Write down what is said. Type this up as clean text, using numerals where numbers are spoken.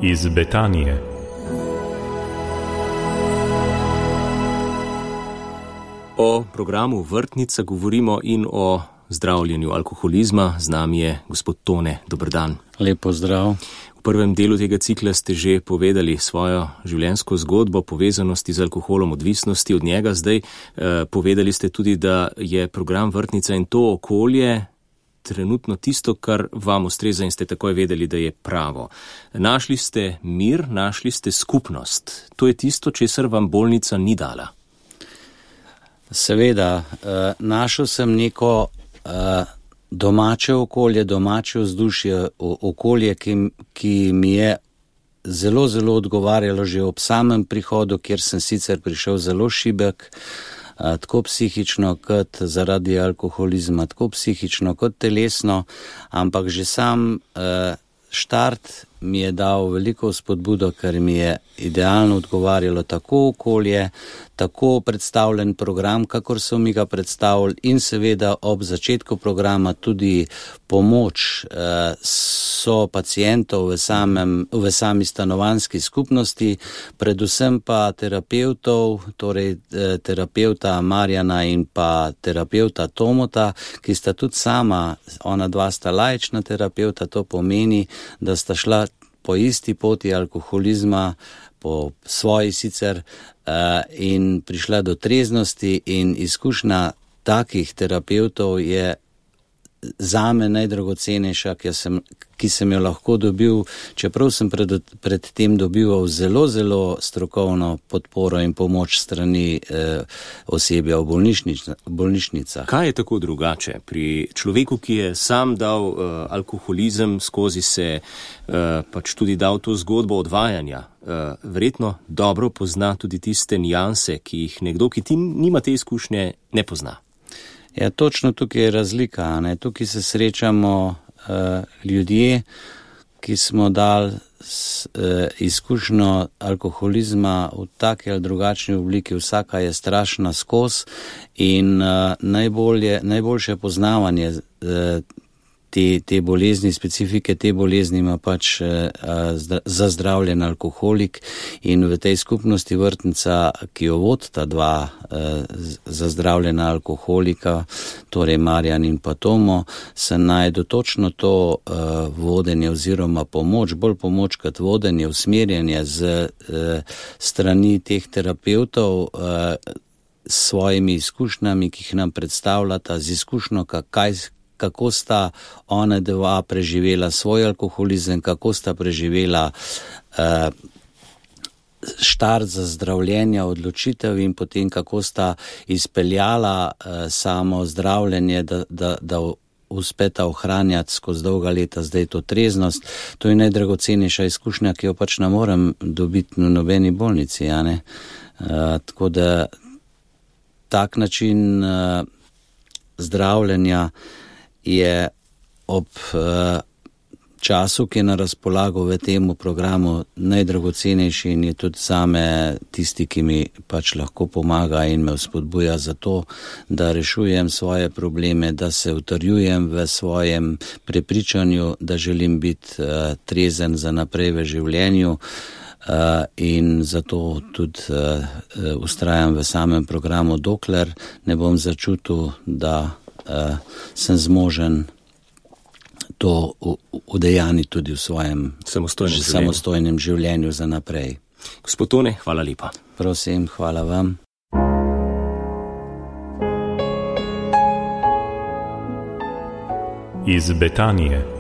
Iz Betanije. O programu Vrtnica govorimo in o zdravljenju alkoholizma. Z nami je gospod Tone. Dober dan. Lep pozdrav. V prvem delu tega cikla ste že povedali svojo življenjsko zgodbo povezanosti z alkoholom, odvisnosti od njega. Zdaj povedali ste tudi, da je program Vrtnica in to okolje trenutno tisto, kar vam ustreza in ste takoj vedeli, da je pravo. Našli ste mir, našli ste skupnost. To je tisto, česar vam bolnica ni dala. Seveda, našel sem neko domače okolje, domače vzdušje, okolje, ki mi je zelo, zelo odgovarjalo že ob samem prihodu, kjer sem sicer prišel zelo šibek, tako psihično kot zaradi alkoholizma, tako psihično kot telesno, ampak že sam štart mi je dal veliko spodbudo, ker mi je idealno odgovarjalo tako okolje, tako predstavljen program, kakor so mi ga predstavili, in seveda ob začetku programa tudi pomoč so pacientov v sami stanovanjski skupnosti, predvsem pa terapevtov, torej terapeuta Marjana in pa terapeuta Tomota, ki sta tudi sama, ona dva sta laična terapeuta, to pomeni, da sta šla po isti poti alkoholizma, po svoji sicer, in prišla do treznosti, in izkušnja takih terapevtov je zame najdragocenejša, ki sem jo lahko dobil, čeprav sem pred tem dobival zelo, zelo strokovno podporo in pomoč strani osebja v bolnišnicah. Kaj je tako drugače pri človeku, ki je sam dal alkoholizem, skozi se pač tudi dal to zgodbo odvajanja? Verjetno dobro pozna tudi tiste nianse, ki jih nekdo, ki ti nima te izkušnje, ne pozna. Ja, točno tukaj je razlika, ne? Tukaj se srečamo ljudje, ki smo dali izkušnjo alkoholizma v taki ali drugačni obliki, vsaka je strašna skozi, in najboljše poznavanje te bolezni, specifike te bolezni ima pač zazdravljen alkoholik, in v tej skupnosti Vrtnica, ki jo vodita dva zazdravljena alkoholika, torej Marjan in pa Tomo, se najde točno to vodenje oziroma pomoč, bolj pomoč kot vodenje, usmerjanje z strani teh terapevtov s svojimi izkušnjami, ki jih nam predstavljata, z izkušnjo, kako sta ona dva preživela svoj alkoholizem, kako sta preživela štart za zdravljenje, odločitev, in potem kako sta izpeljala samo zdravljenje, da uspeta ohranjati skozi dolga leta zdaj to treznost. To je najdragocenejša izkušnja, ki jo pač ne morem dobiti v nobeni bolnici, ja, ne? Tako da tak način zdravljenja je ob času, ki je na razpolago v tem programu, najdragocenejši, in je tudi zame tisti, ki mi pač lahko pomaga in me vzpodbuja za to, da rešujem svoje probleme, da se utrjujem v svojem prepričanju, da želim biti trezen za naprej v življenju, in zato tudi vztrajam v samem programu, dokler ne bom začutil, da sem zmožen to udejaniti tudi v svojem samostojnem življenju za naprej. Gospod Tone, hvala lepa. Prosim, hvala vam. Iz Betanije.